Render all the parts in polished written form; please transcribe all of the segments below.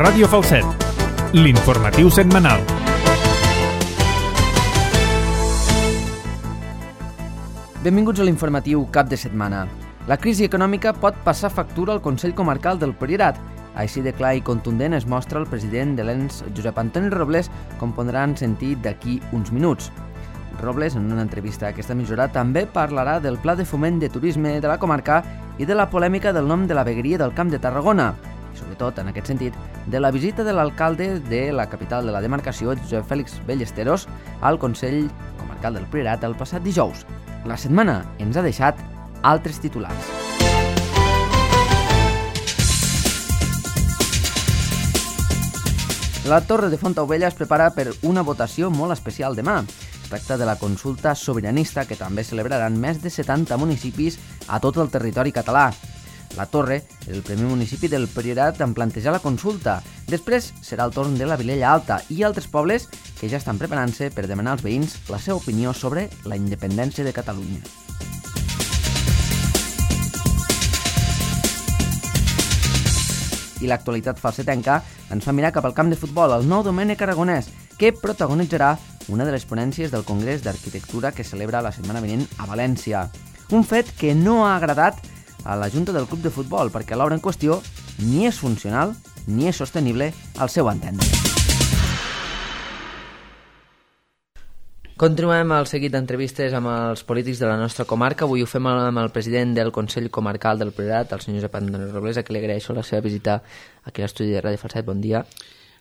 Ràdio Falset, l'informatiu setmanal. Benvinguts a l'informatiu cap de setmana. La crisi econòmica pot passar factura al Consell Comarcal del Priorat. Així de clar i contundent es mostra el president de l'ENS, Josep Antoni Robles, com podran sentir d'aquí uns minuts. Robles, en una entrevista a aquesta emissora, també parlarà del pla de foment de turisme de la comarca i de la polèmica del nom de la vegueria del Camp de Tarragona. I sobretot, en aquest sentit, de la visita de l'alcalde de la capital de la demarcació, Josep Fèlix Ballesteros, al Consell Comarcal del Priorat el passat dijous. La setmana ens ha deixat altres titulars. La Torre de Fontaubella es prepara per una votació molt especial demà. Es tracta de la consulta sobiranista que també celebraran més de 70 municipis a tot el territori català. La Torre és el primer municipi del Priorat en plantejar la consulta. Després serà el torn de la Vilella Alta i altres pobles que ja estan preparant-se per demanar als veïns la seva opinió sobre la independència de Catalunya. I l'actualitat falsetenca ens fa mirar cap al camp de futbol, el nou Domènec Aragonès, que protagonitzarà una de les ponències del Congrés d'Arquitectura que celebra la setmana vinent a València. Un fet que no ha agradat a la Junta del Club de Futbol, perquè l'obra en qüestió ni és funcional ni és sostenible al seu entendre. Continuem el seguit d'entrevistes amb els polítics de la nostra comarca. Avui ho fem amb el president del Consell Comarcal del Priorat, el senyor Josep Antoni Robles, a qui li agraeixo la seva visita aquí a l'estudi de Ràdio Falset. Bon dia.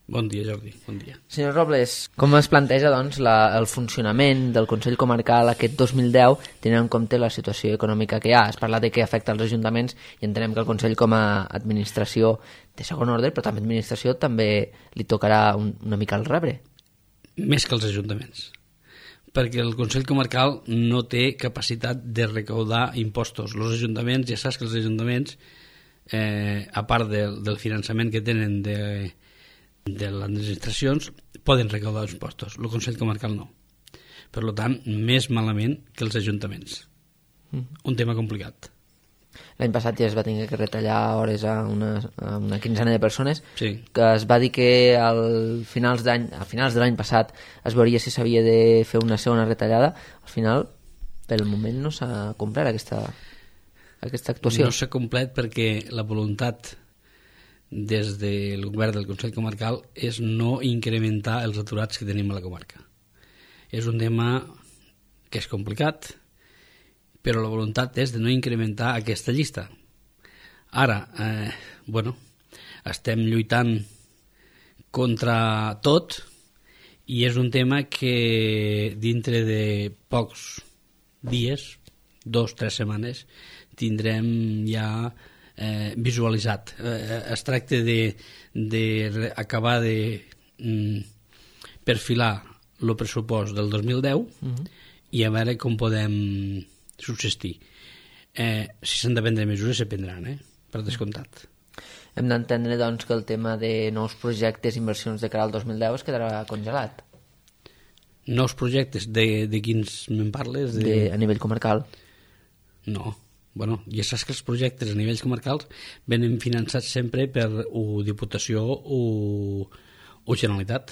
Bon dia, Jordi. Bon dia. Senyor Robles, com es planteja doncs, el funcionament del Consell Comarcal aquest 2010, tenint en compte la situació econòmica que hi ha? Es parla de que afecta als ajuntaments i entenem que el Consell com a administració de segon ordre, però també administració, també li tocarà una mica el rebre. Més que els ajuntaments, perquè el Consell Comarcal no té capacitat de recaudar impostos. Els ajuntaments, ja saps que els ajuntaments, a part del finançament que tenen de les administracions, poden recaudar els impostos. El Consell Comarcal no. Per tant, més malament que els ajuntaments. Un tema complicat. L'any passat ja es va tenir que retallar hores a una quinzena de persones, sí. Que es va dir que a finals de l'any passat es veuria si s'havia de fer una segona retallada. Al final, pel moment no s'ha complert aquesta actuació. No s'ha complert perquè la voluntat des del govern del Consell Comarcal és no incrementar els aturats que tenim a la comarca. És un tema que és complicat, però la voluntat és de no incrementar aquesta llista. Ara, estem lluitant contra tot i és un tema que dintre de pocs dies, 2-3 setmanes, tindrem ja visualitzat. Es tracta d'acabar de perfilar el pressupost del 2010 i a veure com podem subsistir. Si s'han de prendre mesures, se prendran, per descomptat. Hem d'entendre, doncs, que el tema de nous projectes i inversions de cara al 2010 es quedarà congelat. Nous projectes? De quins me'n parles? A nivell comarcal? No. Ja saps que els projectes a nivells comarcals venen finançats sempre per Diputació o Generalitat.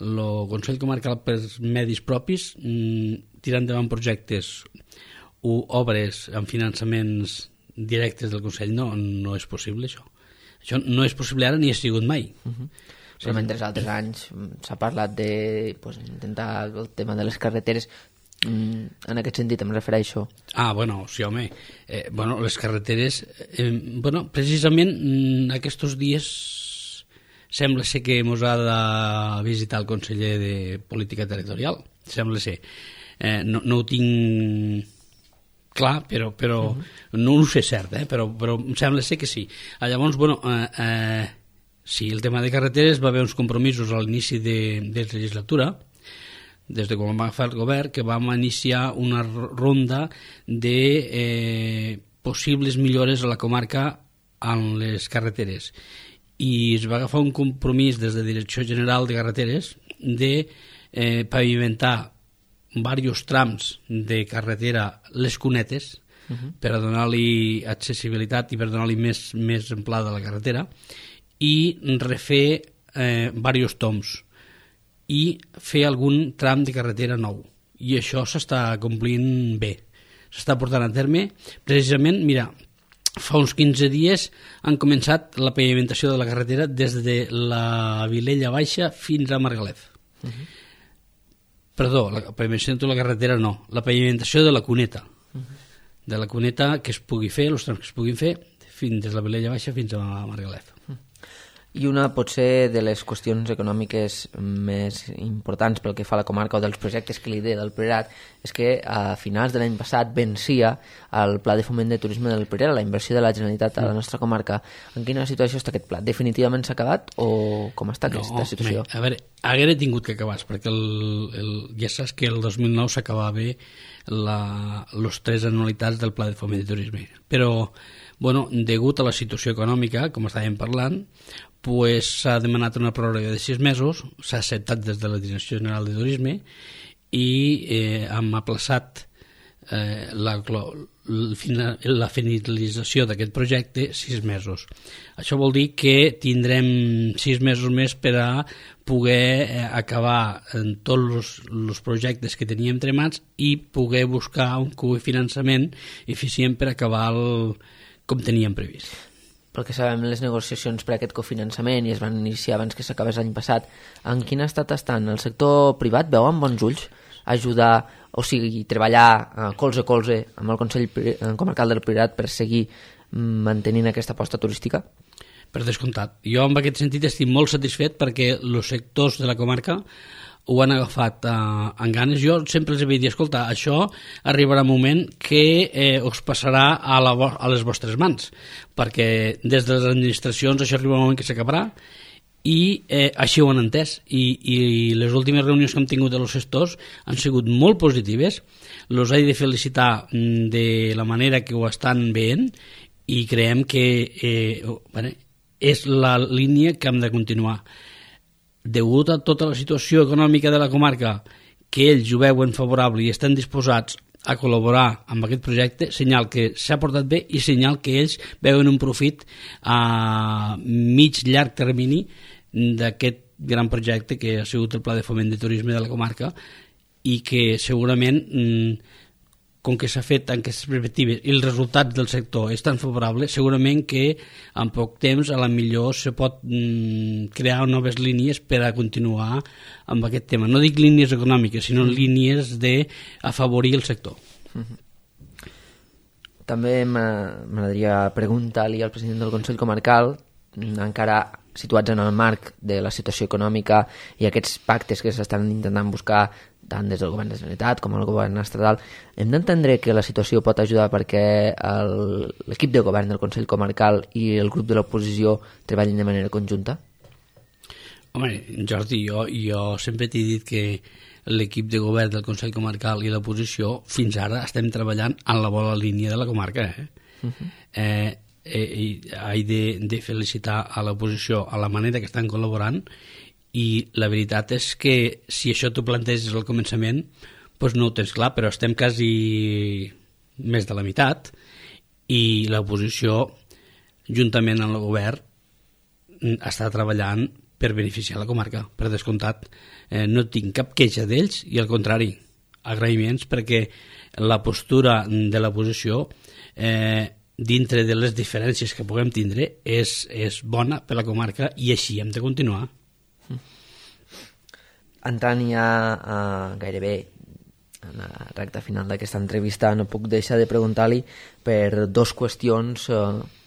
El Consell Comarcal per medis propis tirar endavant projectes o obres amb finançaments directes del Consell no és possible, això. Això no és possible ara ni ha sigut mai. Però mentre altres anys s'ha parlat d'intentar el tema de les carreteres. En aquest sentit em refereixo. Sí, home. Les carreteres... precisament aquests dies sembla ser que ens ha de visitar el conseller de Política Territorial. Sembla ser. No ho tinc clar, però no ho sé cert, però em sembla ser que sí. Llavors, sí, el tema de carreteres va haver uns compromisos a l'inici de legislatura, des de quan vam agafar el govern, que vam iniciar una ronda de possibles millores a la comarca en les carreteres. I es va agafar un compromís des de Direcció General de Carreteres de pavimentar diversos trams de carretera, les cunetes, per a donar-li accessibilitat i per donar-li més amplada a la carretera, i refer diversos toms i fer algun tram de carretera nou. I això s'està complint bé. S'està portant a terme. Precisament, mira, fa uns 15 dies han començat la pavimentació de la carretera des de la Vilella Baixa fins a Margalef. Perdó, la pavimentació de la carretera no, la pavimentació de la cuneta. De la cuneta que es pugui fer, els trams que es puguin fer, fins des de la Vilella Baixa fins a Margalef. I una potser de les qüestions econòmiques més importants pel que fa a la comarca o dels projectes que lidera del Priorat és que a finals de l'any passat vencia el Pla de Foment de Turisme del Priorat, la inversió de la Generalitat a la nostra comarca. En quina situació està aquest pla? Definitivament s'ha acabat o com està aquesta situació? A veure, haguera tingut que acabar perquè ja saps que el 2009 s'acabava les 3 anualitats del Pla de Foment de Turisme. Però, bueno, degut a la situació econòmica, com estàvem parlant, pues s'ha demanat una pròrroga de 6 mesos, s'ha acceptat des de la Direcció General de Turisme i hem aplaçat la finalització d'aquest projecte 6 mesos. Això vol dir que tindrem 6 mesos més per a poder acabar en tots els projectes que teníem tremats i poder buscar un cofinançament eficient per acabar com teníem previst. Pel que sabem, les negociacions per a aquest cofinançament i es van iniciar abans que s'acabés l'any passat, en quin estat estan? El sector privat veu amb bons ulls ajudar, o sigui, treballar colze a colze amb el Consell Comarcal del Priorat per seguir mantenint aquesta aposta turística? Per descomptat. Jo en aquest sentit estic molt satisfet perquè els sectors de la comarca ho han agafat amb ganes. Jo sempre els havia dit, escolta, això arribarà un moment que us passarà a les vostres mans, perquè des de les administracions això arriba un moment que s'acabarà i així ho han entès i les últimes reunions que hem tingut de els sectors han sigut molt positives. Els he de felicitar de la manera que ho estan veient i creiem que és la línia que hem de continuar. Degut a tota la situació econòmica de la comarca, que ells ho veuen favorable i estan disposats a col·laborar amb aquest projecte, senyal que s'ha portat bé i senyal que ells veuen un profit a mig-llarg termini d'aquest gran projecte que ha sigut el Pla de Foment de Turisme de la comarca i que segurament, com que s'ha fet en aquestes perspectives i els resultats del sector és tan favorable, segurament que en poc temps a la millor se pot crear noves línies per a continuar amb aquest tema. No dic línies econòmiques, sinó línies d'afavorir el sector. També m'agradaria preguntar-li al president del Consell Comarcal, encara situats en el marc de la situació econòmica i aquests pactes que s'estan intentant buscar tant des del govern de la Generalitat com el govern estatal, hem d'entendre que la situació pot ajudar perquè l'equip de govern del Consell Comarcal i el grup de l'oposició treballin de manera conjunta? Home, Jordi, jo sempre t'he dit que l'equip de govern del Consell Comarcal i l'oposició fins ara estem treballant en la bona línia de la comarca. He de felicitar a l'oposició a la manera que estan col·laborant i la veritat és que si això t'ho planteges al començament doncs no ho tens clar, però estem quasi més de la meitat i l'oposició juntament amb el govern està treballant per beneficiar la comarca, per descomptat. No tinc cap queixa d'ells i al contrari, agraïments perquè la postura de l'oposició dintre de les diferències que puguem tindre és bona per la comarca i així hem de continuar. Entrant ja gairebé en la recta final d'aquesta entrevista, no puc deixar de preguntar-li per 2 qüestions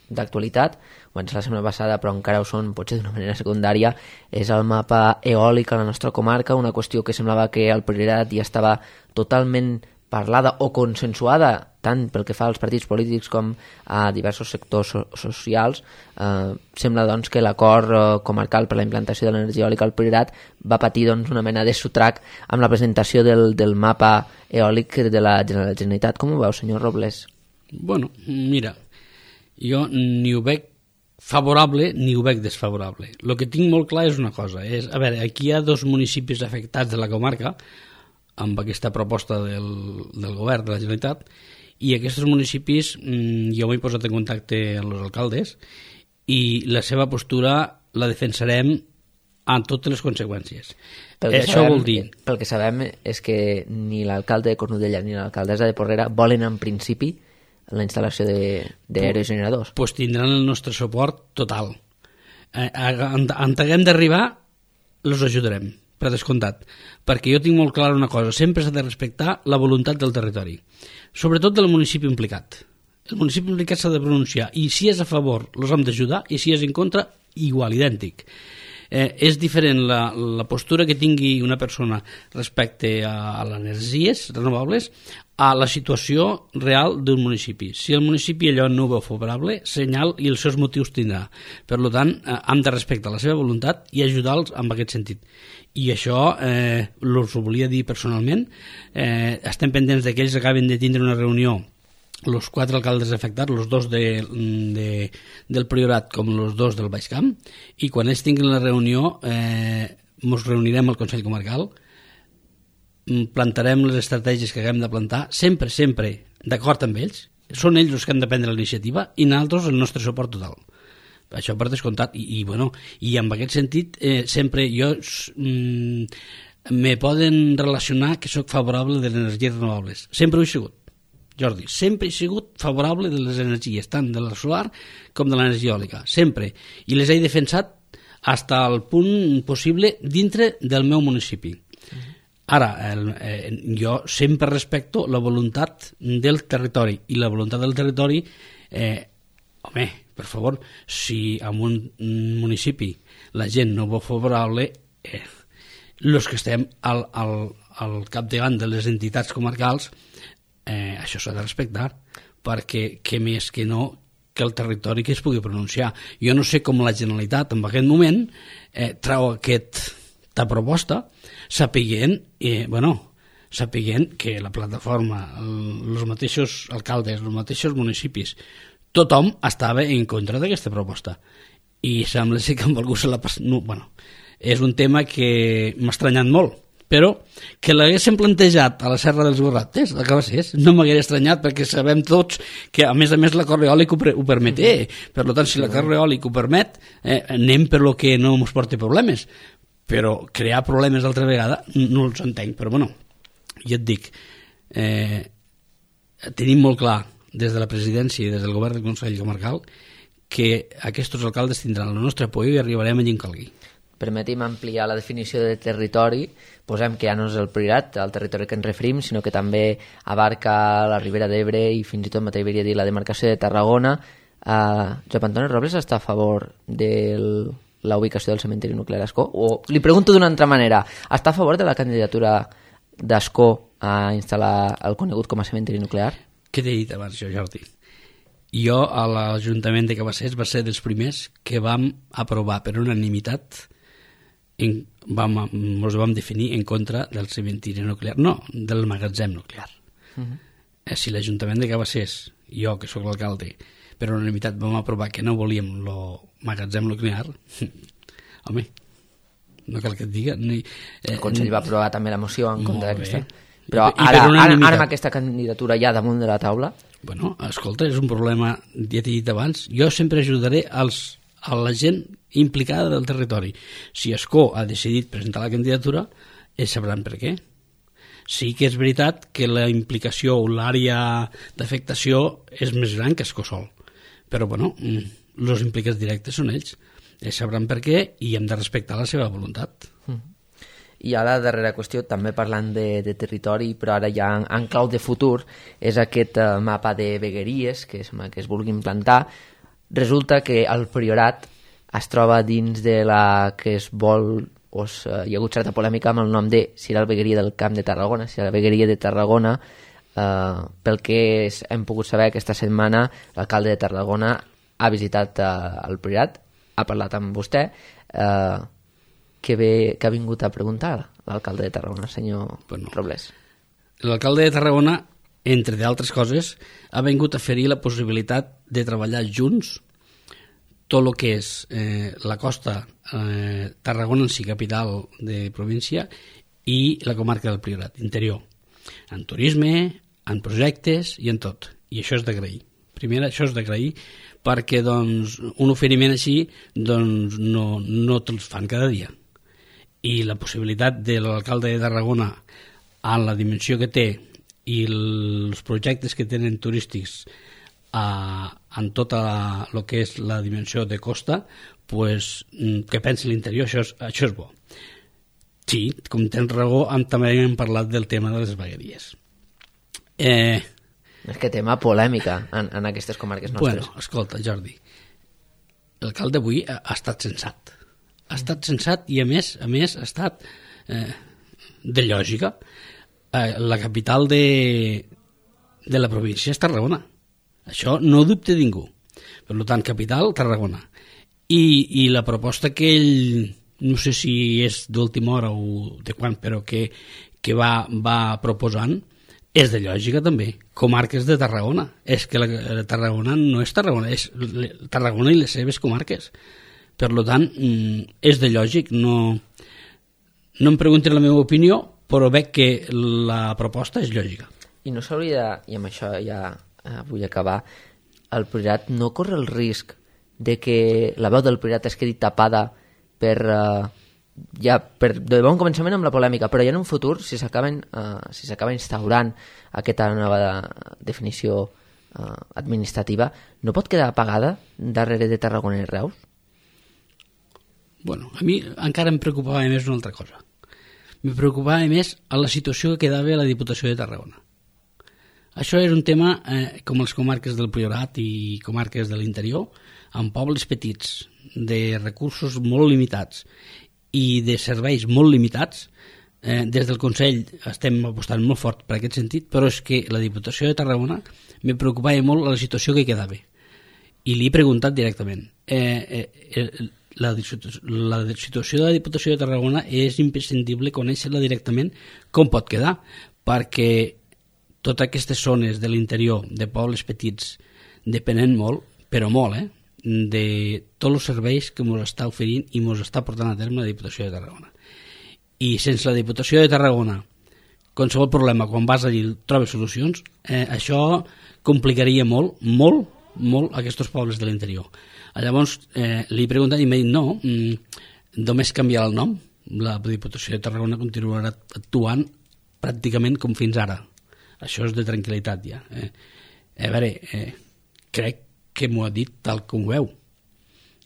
d'actualitat. Ho vaig la setmana passada, però encara ho són, potser d'una manera secundària. És el mapa eòlic a la nostra comarca, una qüestió que semblava que al Priorat ja estava totalment parlada o consensuada, tant pel que fa als partits polítics com a diversos sectors socials. Sembla doncs que l'acord comarcal per la implantació de l'energia eòlica al Priorat va patir doncs, una mena de sotrac amb la presentació del mapa eòlic de la Generalitat. Com ho veu, senyor Robles? Bueno, mira, jo ni ho veig favorable ni ho veig desfavorable. El que tinc molt clar és una cosa. A veure, aquí hi ha 2 municipis afectats de la comarca amb aquesta proposta del govern de la Generalitat i aquests municipis jo m'he posat en contacte amb els alcaldes i la seva postura la defensarem amb totes les conseqüències. Això vol dir... Pel que sabem és que ni l'alcalde de Cornudella ni l'alcaldessa de Porrera volen en principi la instal·lació d'aerogeneradors. Doncs tindran el nostre suport total. On haguem d'arribar, els ajudarem, per descomptat. Perquè jo tinc molt clar una cosa, sempre s'ha de respectar la voluntat del territori, sobretot del municipi implicat. El municipi implicat s'ha de pronunciar, i si és a favor, els hem d'ajudar, i si és en contra, igual, idèntic. És diferent la postura que tingui una persona respecte a les energies renovables a la situació real d'un municipi. Si el municipi allò no ho veu favorable, senyal i els seus motius tindrà. Per tant, hem de respectar la seva voluntat i ajudar-los en aquest sentit. I això us ho volia dir personalment. Estem pendents que ells acaben de tindre una reunió, els 4 alcaldes afectats, els 2 del Priorat com els 2 del Baix Camp, i quan ells tinguin la reunió ens reunirem al Consell Comarcal, plantarem les estratègies que haguem de plantar, sempre d'acord amb ells. Són ells els que han de prendre la iniciativa i nosaltres el nostre suport total. Això per descomptat. I en aquest sentit sempre jo me poden relacionar que sóc favorable de les energies renovables. Sempre ho he sigut, Jordi, sempre he sigut favorable de les energies, tant de la solar com de l'energia eòlica, sempre. I les he defensat fins al punt possible dintre del meu municipi. Ara, jo sempre respecto la voluntat del territori, i la voluntat del territori, home, per favor, si en un municipi la gent no veu favorable, els que estem al capdavant de les entitats comarcals, això s'ha de respectar, perquè què més que no que el territori que es pugui pronunciar. Jo no sé com la Generalitat en aquest moment trau aquesta proposta sapiguent que la plataforma, els mateixos alcaldes, els mateixos municipis, tothom estava en contra d'aquesta proposta, i sembla ser que amb algú se la passa. No, és un tema que m'ha estranyat molt, però que l'haguéssim plantejat a la Serra dels Gorrates, a Cabassers, no m'hagués estranyat, perquè sabem tots que a més l'acord eòlic ho permet. Per tant, si l'acord eòlic ho permet, anem per lo que no ens porti problemes. Però crear problemes altra vegada no els entenc. Però ja et dic, tenim molt clar des de la presidència i des del govern del Consell Comarcal que aquests alcaldes tindran el nostre apoyo i arribarem allà on calgui. Permetim ampliar la definició de territori. Posem que ja no és el Priorat, el territori que ens referim, sinó que també abarca la Ribera d'Ebre i fins i tot m'atreviria a dir la demarcació de Tarragona. Josep Antoni Robles està a favor de la ubicació del cementiri nuclear Ascó? O li pregunto d'una altra manera, està a favor de la candidatura d'Ascó a instal·lar el conegut com a cementiri nuclear? Què t'he dit abans, Jordi? Jo a l'Ajuntament de Cabassers va ser dels primers que vam aprovar per unanimitat, ens vam definir en contra del cementiri nuclear, no, del magatzem nuclear. Si l'Ajuntament de Cabassers, jo que sóc l'alcalde, per unanimitat vam aprovar que no volíem el magatzem nuclear, home, no cal que et diga. El Consell va aprovar també la moció en contra d'aquesta. Però ara amb aquesta candidatura ja damunt de la taula... Escolta, és un problema, ja t'he dit abans, jo sempre ajudaré a la gent implicada del territori. Si Ascó ha decidit presentar la candidatura, ells sabran per què. Sí que és veritat que la implicació o l'àrea d'afectació és més gran que Ascó sol, però els implicats directes són ells. Ells sabran per què i hem de respectar la seva voluntat. I ara la darrera qüestió, també parlant de territori, però ara ja en clau de futur, és aquest mapa de vegueries que es vulgui implantar. Resulta que el Priorat es troba dins de la que es vol, hi ha hagut certa polèmica amb el nom de si era la vegueria del Camp de Tarragona, si era la vegueria de Tarragona. Pel que hem pogut saber aquesta setmana, l'alcalde de Tarragona ha visitat el Priorat, ha parlat amb vostè. Que ha vingut a preguntar l'alcalde de Tarragona, senyor Robles? L'alcalde de Tarragona, entre d'altres coses, ha vingut a oferir la possibilitat de treballar junts tot el que és la costa Tarragona en si capital de província i la comarca del Priorat, interior, en turisme, en projectes i en tot. I això és d'agrair. Primer, això és d'agrair perquè doncs, un oferiment així doncs, no te'ls fan cada dia. I la possibilitat de l'alcalde de Tarragona, en la dimensió que té i els projectes que tenen turístics en tota el que és la dimensió de costa, pues, que pensi l'interior, això és bo. Sí, com tens raó, també hem parlat del tema de les vegueries. És que tema polèmica en aquestes comarques nostres. Bueno, escolta, Jordi, l'alcalde avui ha estat sensat. Ha estat sensat i, a més ha estat de lògica. La capital de la província és Tarragona. Això no ho dubta ningú. Per tant, capital, Tarragona. I la proposta que ell, no sé si és d'última hora o de quan, però que va proposant, és de lògica també. Comarques de Tarragona. És que la Tarragona no és Tarragona, és Tarragona i les seves comarques. Per tant, és de lògic. No em preguntin la meva opinió, però veig que la proposta és lògica. I no s'hauria, i amb això ja vull acabar, el Priorat no corre el risc de que la veu del Priorat es quedi tapada de bon començament amb la polèmica, però ja en un futur, si s'acaba instaurant aquesta nova definició administrativa, no pot quedar apagada darrere de Tarragona i Reus? Bueno, a mi encara em preocupava més una altra cosa. Me preocupava més a la situació que quedava a la Diputació de Tarragona. Això és un tema, com les comarques del Priorat i comarques de l'interior, amb pobles petits, de recursos molt limitats i de serveis molt limitats. Des del Consell estem apostant molt fort per aquest sentit, però és que la Diputació de Tarragona me preocupava molt la situació que quedava. I li he preguntat directament. La situació de la Diputació de Tarragona és imprescindible conèixer-la directament com pot quedar, perquè totes aquestes zones de l'interior, de pobles petits, depenen molt, però molt, de tots els serveis que ens està oferint i ens està portant a terme la Diputació de Tarragona. I sense la Diputació de Tarragona, qualsevol problema, quan vas allí trobes solucions, això complicaria molt, molt, molt aquests pobles de l'interior. Llavors li he preguntat i m'ha dit no, només canviarà el nom, la Diputació de Tarragona continuarà actuant pràcticament com fins ara. Això és de tranquil·litat ja. A veure, crec que m'ho ha dit tal com ho veu.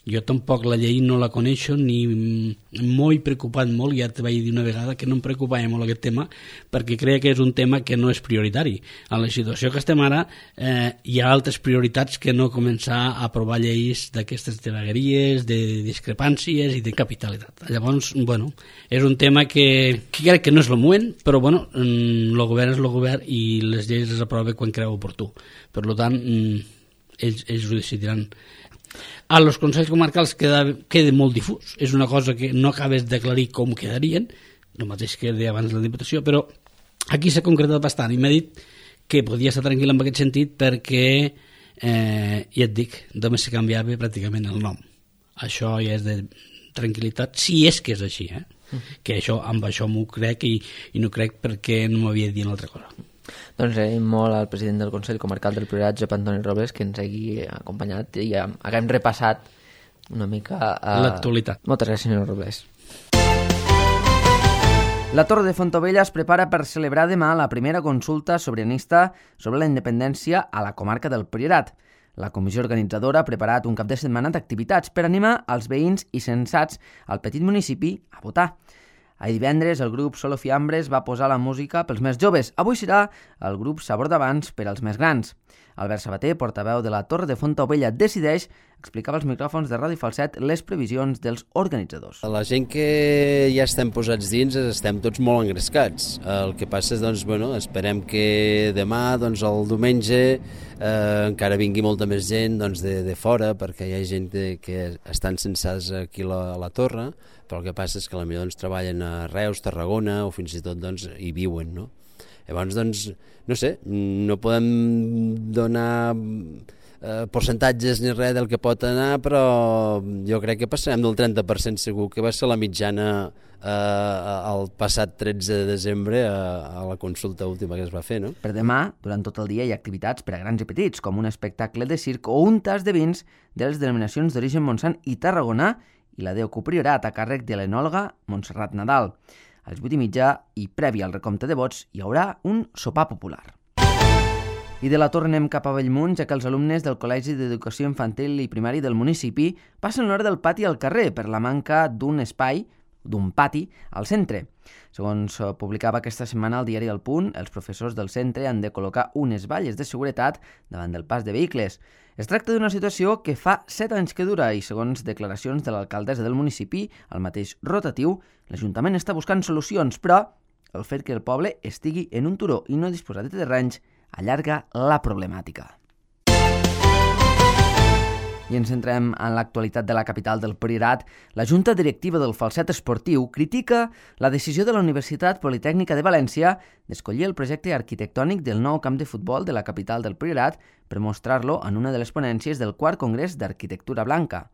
Jo tampoc la llei no la coneixo ni m'ho he preocupat molt, ja te vaig dir una vegada que no em preocupava molt aquest tema perquè crec que és un tema que no és prioritari. En la situació que estem ara hi ha altres prioritats que no començar a aprovar lleis d'aquestes vegueries, de discrepàncies i de capitalitat. Llavors, bueno, és un tema que crec que no és el moment, però bueno, el govern és el govern i les lleis les aprova quan creu oportú. Per tant, ells ho decidiran. A los consells comarcals queda molt difús, és una cosa que no acabes d'aclarir com quedarien, el mateix que deia abans la Diputació, però aquí s'ha concretat bastant i m'ha dit que podia estar tranquil en aquest sentit perquè, ja et dic, només se canviava pràcticament el nom. Això ja és de tranquil·litat, si és que és així, que amb això m'ho crec i no crec perquè no m'havia dit una altra cosa. Doncs agraïm molt al president del Consell Comarcal del Priorat, Josep Antoni Robles, que ens hagi acompanyat i haguem repassat una mica l'actualitat. Moltes gràcies, senyor Robles. La Torre de Fontovella es prepara per celebrar demà la primera consulta sobiranista sobre la independència a la comarca del Priorat. La comissió organitzadora ha preparat un cap de setmana d'activitats per animar els veïns i censats al petit municipi a votar. Ahir divendres el grup Solo Fiambres va posar la música pels més joves. Avui serà el grup Sabor d'Abans per als més grans. Albert Sabater, portaveu de la Torre de Fontovella Decideix, explicava als micròfons de Ràdio Falset les previsions dels organitzadors. La gent que ja estem posats dins estem tots molt engrescats. El que passa és, doncs, bueno, esperem que demà, doncs, el diumenge, encara vingui molta més gent de fora, perquè hi ha gent que estan censats aquí a la Torre, però el que passa és que potser treballen a Reus, Tarragona, o fins i tot hi viuen, no? Llavors, no sé, no podem donar percentatges ni res del que pot anar, però jo crec que passarem del 30% segur, que va ser la mitjana el passat 13 de desembre a la consulta última que es va fer, no? Per demà, durant tot el dia, hi ha activitats per a grans i petits, com un espectacle de circ o un tas de vins de les denominacions d'origen Montsant i Tarragona i la Déu Priorat a càrrec de l'enòloga Montserrat Nadal. A les 8:30 i previ al recompte de vots hi haurà un sopar popular. I de la Torre anem cap a Bellmunt, ja que els alumnes del Col·legi d'Educació Infantil i Primari del municipi passen l'hora del pati al carrer per la manca d'un espai, d'un pati, al centre. Segons publicava aquesta setmana al diari El Punt, els professors del centre han de col·locar unes valles de seguretat davant del pas de vehicles. Es tracta d'una situació que fa 7 anys que dura i, segons declaracions de l'alcaldessa del municipi, al mateix rotatiu, l'Ajuntament està buscant solucions, però el fet que el poble estigui en un turó i no disposar de terrenys allarga la problemàtica. I ens centrem en l'actualitat de la capital del Priorat. La Junta Directiva del Falset Esportiu critica la decisió de la Universitat Politècnica de València d'escollir el projecte arquitectònic del nou camp de futbol de la capital del Priorat per mostrar-lo en una de les ponències del 4 Congrés d'Arquitectura Blanca.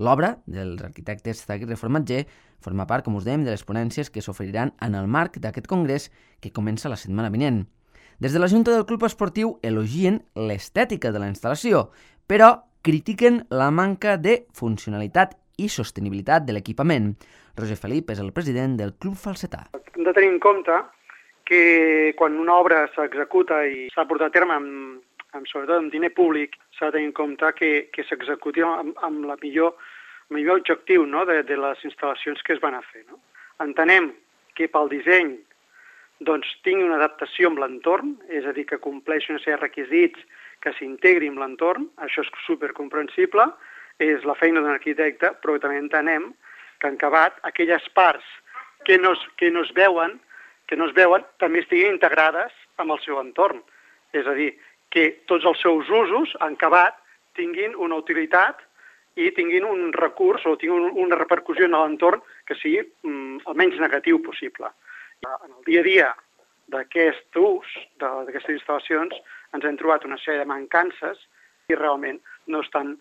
L'obra dels arquitectes Zaguirre Formatger forma part, com us dèiem, de les ponències que s'oferiran en el marc d'aquest congrés que comença la setmana vinent. Des de la Junta del Club Esportiu elogien l'estètica de la instal·lació, però critiquen la manca de funcionalitat i sostenibilitat de l'equipament. Roger Felip és el president del Club Falsetà. Hem de tenir en compte que quan una obra s'executa i s'ha portat a terme sobretot amb diner públic, s'ha de tenir en compte que s'executi amb el millor objectiu, no?, de les instal·lacions que es van a fer. No? Entenem que pel disseny tingui una adaptació amb l'entorn, és a dir, que compleixi una sèrie de requisits que s'integri amb l'entorn, això és supercomprensible, és la feina d'un arquitecte, però també entenem que en acabat aquelles parts que no es veuen també estiguin integrades amb el seu entorn. És a dir, que tots els seus usos en acabat tinguin una utilitat i tinguin un recurs o tinguin una repercussió en l'entorn que sigui el menys negatiu possible. En el dia a dia d'aquest ús, d'aquestes instal·lacions, ens hem trobat una sèrie de mancances i realment no estan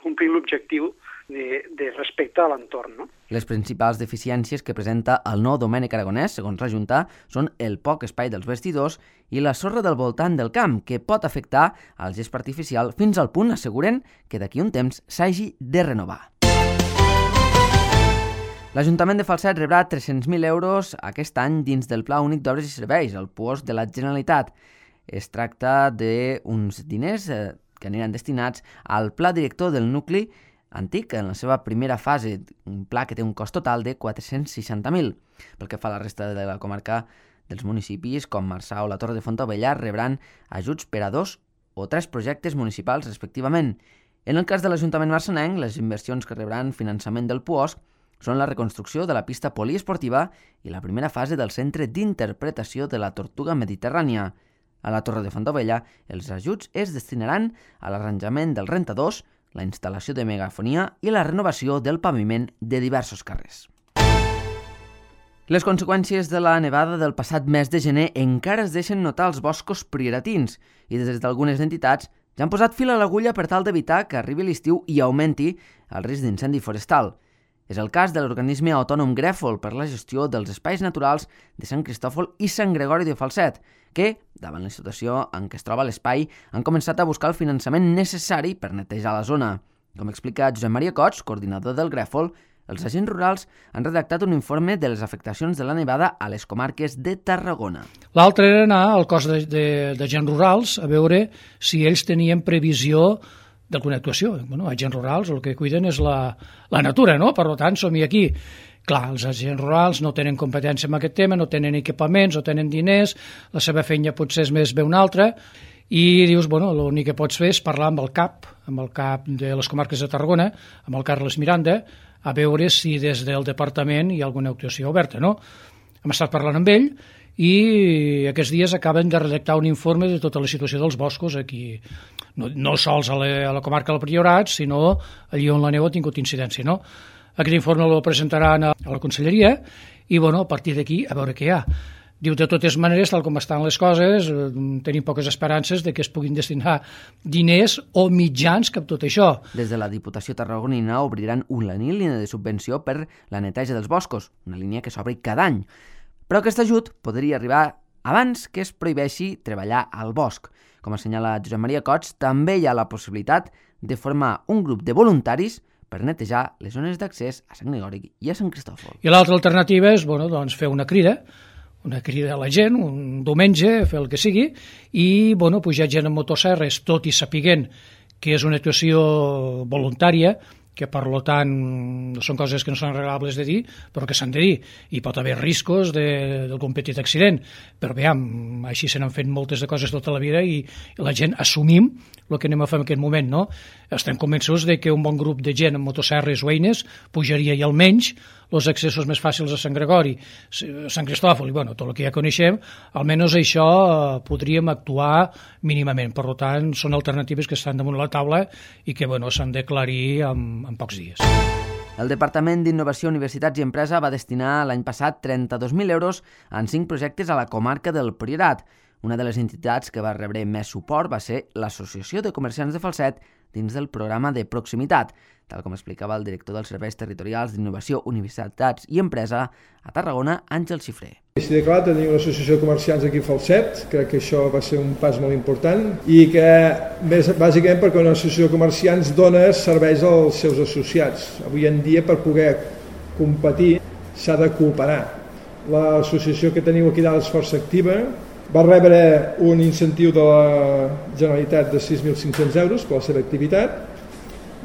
complint l'objectiu de respecte a l'entorn. No? Les principals deficiències que presenta el nou Domènec Aragonès, segons la Junta, són el poc espai dels vestidors i la sorra del voltant del camp, que pot afectar al gest artificial fins al punt, asseguren, que d'aquí un temps s'hagi de renovar. L'Ajuntament de Falset rebrà 300.000 euros aquest any dins del Pla Únic d'Obres i Serveis, el PUOS de la Generalitat. Es tracta d'uns diners que aniran destinats al pla director del nucli antic en la seva primera fase, un pla que té un cost total de 460.000. Pel que fa a la resta de la comarca dels municipis, com Marçà o la Torre de Fontaubella, rebran ajuts per a 2 o 3 projectes municipals respectivament. En el cas de l'Ajuntament marçanenc, les inversions que rebran finançament del PUOS són la reconstrucció de la pista poliesportiva i la primera fase del centre d'interpretació de la tortuga mediterrània. A la Torre de Fontaubella, els ajuts es destinaran a l'arranjament dels rentadors, la instal·lació de megafonia i la renovació del paviment de diversos carrers. Les conseqüències de la nevada del passat mes de gener encara es deixen notar als boscos prioratins i des d'algunes entitats ja han posat fil a l'agulla per tal d'evitar que arribi l'estiu i augmenti el risc d'incendi forestal. És el cas de l'organisme autònom Grèfol per la gestió dels espais naturals de Sant Cristòfol i Sant Gregori de Falset, que, davant la situació en què es troba l'espai, han començat a buscar el finançament necessari per netejar la zona. Com explica Josep Maria Cots, coordinador del Grèfol, els agents rurals han redactat un informe de les afectacions de la nevada a les comarques de Tarragona. L'altre era anar al cos d'agents rurals a veure si ells tenien previsió d'alguna actuació. Bueno, agents rurals el que cuiden és la natura, no? Per tant, som-hi aquí. Clar, els agents rurals no tenen competència en aquest tema, no tenen equipaments, no tenen diners, la seva feina potser és més bé una altra, i dius, bueno, l'únic que pots fer és parlar amb el cap de les comarques de Tarragona, amb el Carles Miranda, a veure si des del departament hi ha alguna actuació oberta, no? Hem estat parlant amb ell i aquests dies acaben de redactar un informe de tota la situació dels boscos aquí, no sols a la comarca del Priorat, sinó allí on la neu ha tingut incidència, no? Aquest informe el presentaran a la conselleria i, bueno, a partir d'aquí, a veure què hi ha. Diu, de totes maneres, tal com estan les coses, tenim poques esperances de que es puguin destinar diners o mitjans cap tot això. Des de la Diputació tarragonina obriran una línia de subvenció per la neteja dels boscos, una línia que s'obre cada any. Però aquest ajut podria arribar abans que es prohibeixi treballar al bosc. Com assenyala Josep Maria Cots, també hi ha la possibilitat de formar un grup de voluntaris per netejar les zones d'accés a Sant Gregori i a Sant Cristòfol. I l'altra alternativa és fer una crida a la gent, un diumenge, fer el que sigui, i pujar gent amb motosserres, tot i sapiguent que és una actuació voluntària, que per tant són coses que no són agradables de dir, però que s'han de dir. Hi pot haver riscos d'algun petit accident, però veiem, així se n'han fet moltes de coses tota la vida i la gent assumim el que anem a fer en aquest moment, no? Estem convençuts de que un bon grup de gent amb motosserres o eines pujaria i almenys els accessos més fàcils a Sant Gregori, Sant Cristòfol i tot el que ja coneixem, almenys això podríem actuar mínimament. Per tant, són alternatives que estan damunt la taula i que s'han d'aclarir en pocs dies. El Departament d'Innovació, Universitats i Empresa va destinar l'any passat 32.000 euros en 5 projectes a la comarca del Priorat. Una de les entitats que va rebre més suport va ser l'Associació de Comerciants de Falset dins del programa de proximitat, tal com explicava el director dels Serveis Territorials d'Innovació, Universitats i Empresa a Tarragona, Àngel Xifré. Així de clar, tenir una associació de comerciants aquí a Falset, crec que això va ser un pas molt important i que, bàsicament, perquè una associació de comerciants dona serveis als seus associats. Avui en dia, per poder competir, s'ha de cooperar. L'associació que teniu aquí dalt és força activa, va rebre un incentiu de la Generalitat de 6.500 euros per la seva activitat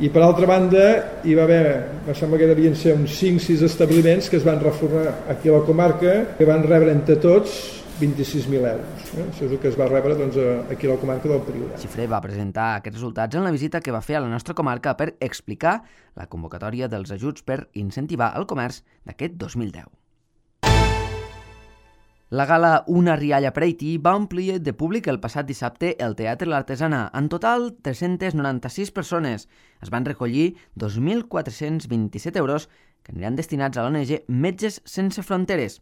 i per altra banda hi va haver, em sembla que devien ser uns 5-6 establiments que es van reformar aquí a la comarca que van rebre entre tots 26.000 euros. Això és el que es va rebre aquí a la comarca del Priorat. Xifré va presentar aquests resultats en la visita que va fer a la nostra comarca per explicar la convocatòria dels ajuts per incentivar el comerç d'aquest 2010. La gala Una rialla per Haití va omplir de públic el passat dissabte el Teatre L'Artesana. En total, 396 persones. Es van recollir 2.427 euros que aniran destinats a l'ONG Metges Sense Fronteres.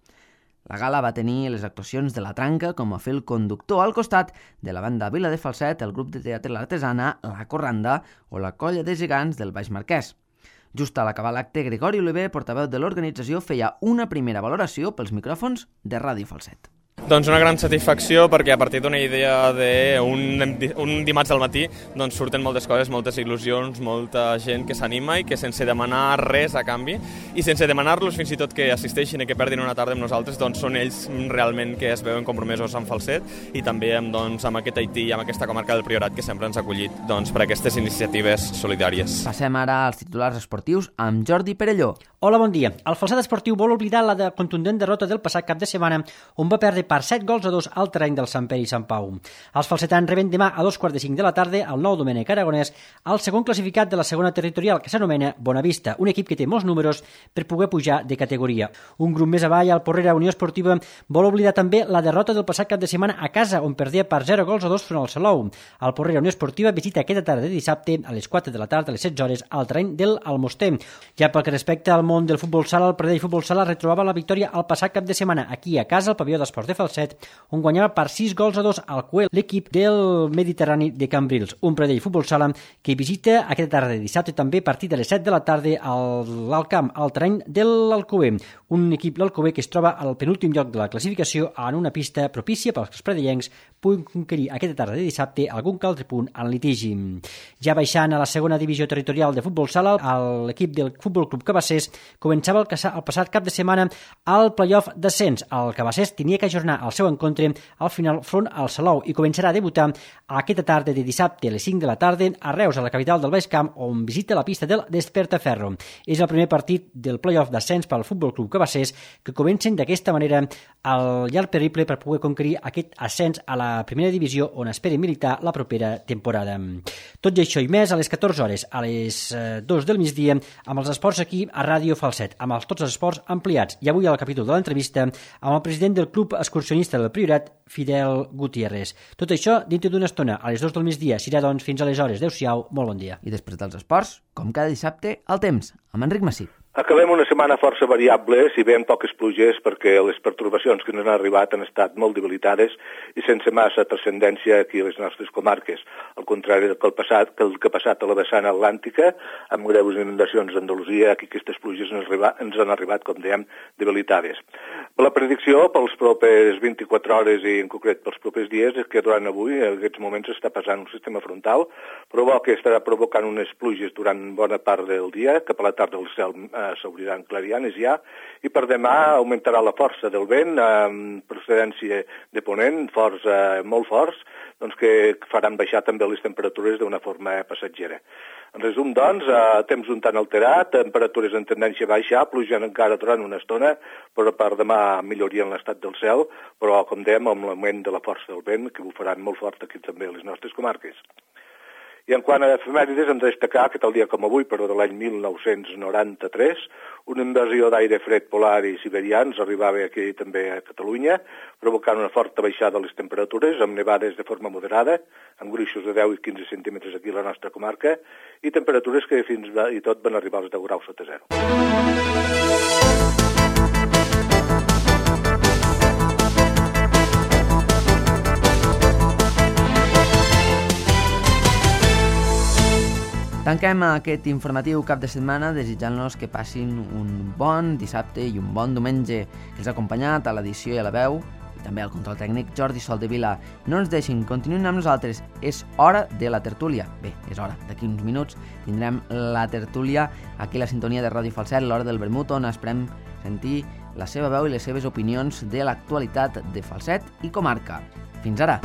La gala va tenir les actuacions de La Tranca com a fil conductor al costat de la banda Vila de Falset, el grup de teatre L'Artesana, La Corranda o la Colla de Gegants del Baix Marquès. Just a l'acabar l'acte, Gregori Oliver, portaveu de l'organització, feia una primera valoració pels micròfons de Ràdio Falset. Doncs una gran satisfacció perquè a partir d'una idea d'un dimarts al matí doncs surten moltes coses, moltes il·lusions, molta gent que s'anima i que sense demanar res a canvi i sense demanar-los fins i tot que assisteixin i que perdin una tarda amb nosaltres, doncs són ells realment que es veuen compromesos amb Falset i també amb aquest Haití i amb aquesta comarca del Priorat que sempre ens ha acollit per aquestes iniciatives solidàries. Passem ara als titulars esportius amb Jordi Perelló. Hola, bon dia. El Falset Esportiu vol oblidar la contundent derrota del passat cap de setmana on va perdre per 7-2 al terreny del Sant Pere i Sant Pau. Els falsetans reben demà a 2:45 de la tarda al Nou Domènec Aragonès, el segon classificat de la segona territorial, que s'anomena Bonavista, un equip que té molts números per poder pujar de categoria. Un grup més avall, el Porrera Unió Esportiva, vol oblidar també la derrota del passat cap de setmana a casa, on perdia per 0-2 front al Salou. El Porrera Unió Esportiva visita aquesta tarda de dissabte a les 4 de la tarda, a les 16 hores, al terreny del Almoster. Ja pel que respecta al món del futbol sala, el Pradell Futbol Sala retrobava la victòria el passat cap de setmana aquí a casa, al pavelló d'esports de Falset, on guanyava per 6-2 al Cuel, l'equip del Mediterrani de Cambrils. Un Pradell Futbol Sala que visita aquesta tarda de dissabte també a partir de les 7 de la tarda al camp, al terreny de l'Alcover. Un equip, l'Alcover, que es troba al penúltim lloc de la classificació en una pista propícia pels que els pradellencs puguin conquerir aquesta tarda de dissabte algun que altre punt en litigi. Ja baixant a la segona divisió territorial de futbol sala, l'equip del Futbol Club Cabassers començava el passat cap de setmana al playoff d'ascens. El Cabassers tenia que ajornar el seu encontre al final front al Salou i començarà a debutar aquesta tarda de dissabte a les 5 de la tarda a Reus, a la capital del Baix Camp, on visita la pista del Despertaferro. És el primer partit del playoff d'ascens pel Futbol Club Cabassers, que comencen d'aquesta manera el llarg periple per poder conquerir aquest ascens a la primera divisió, on esperen militar la propera temporada. Tot i això i més, a les 14 hores, a les 2 del migdia, amb els esports aquí a Ràdio Falset, amb tots els esports ampliats. I avui al capítol de l'entrevista amb el president del Club Excursionista del Priorat, Fidel Gutiérrez. Tot això dintre d'una estona, a les 2 del migdia. Serà, doncs, fins aleshores. Adéu-siau, molt bon dia. I després dels esports, com cada dissabte, el temps, amb Enric Massip. Acabem una setmana força variable, si bé amb poques pluges, perquè les pertorbacions que ens han arribat han estat molt debilitades i sense massa transcendència aquí a les nostres comarques, al contrari del que ha passat a la vessant atlàntica, amb greus inundacions d'Andalusia, aquí aquestes pluges ens han arribat, com dèiem, debilitades. La predicció pels propers 24 hores i en concret pels propers dies és que durant avui, en aquests moments, està passant un sistema frontal, que estarà provocant unes pluges durant bona part del dia, cap a la tarda el cel s'obriran clarianes ja, i per demà augmentarà la força del vent amb procedència de ponent, molt forts, doncs que faran baixar també les temperatures d'una forma passatgera. En resum, doncs, temps un tant alterat, temperatures en tendència a baixar, plujant encara durant una estona, però per demà millorien l'estat del cel, però, com dèiem, amb l'augment de la força del vent, que bufaran molt fort aquí també a les nostres comarques. I en quant a efemèrides, hem de destacar que tal dia com avui, però de l'any 1993, una invasió d'aire fred polar i siberià ens arribava aquí també a Catalunya, provocant una forta baixada de les temperatures, amb nevades de forma moderada, amb gruixos de 10 i 15 centímetres aquí a la nostra comarca, i temperatures que fins i tot van arribar als 10 graus sota zero. Tanquem aquest informatiu cap de setmana desitjant-los que passin un bon dissabte i un bon diumenge, que els ha acompanyat a l'edició i a la veu, i també al control tècnic Jordi Soldevila. No ens deixin, continuïn amb nosaltres, és hora de la tertúlia. Bé, és hora, d'aquí uns minuts tindrem la tertúlia aquí a la sintonia de Ràdio Falset, l'hora del vermut, on esperem sentir la seva veu i les seves opinions de l'actualitat de Falset i comarca. Fins ara!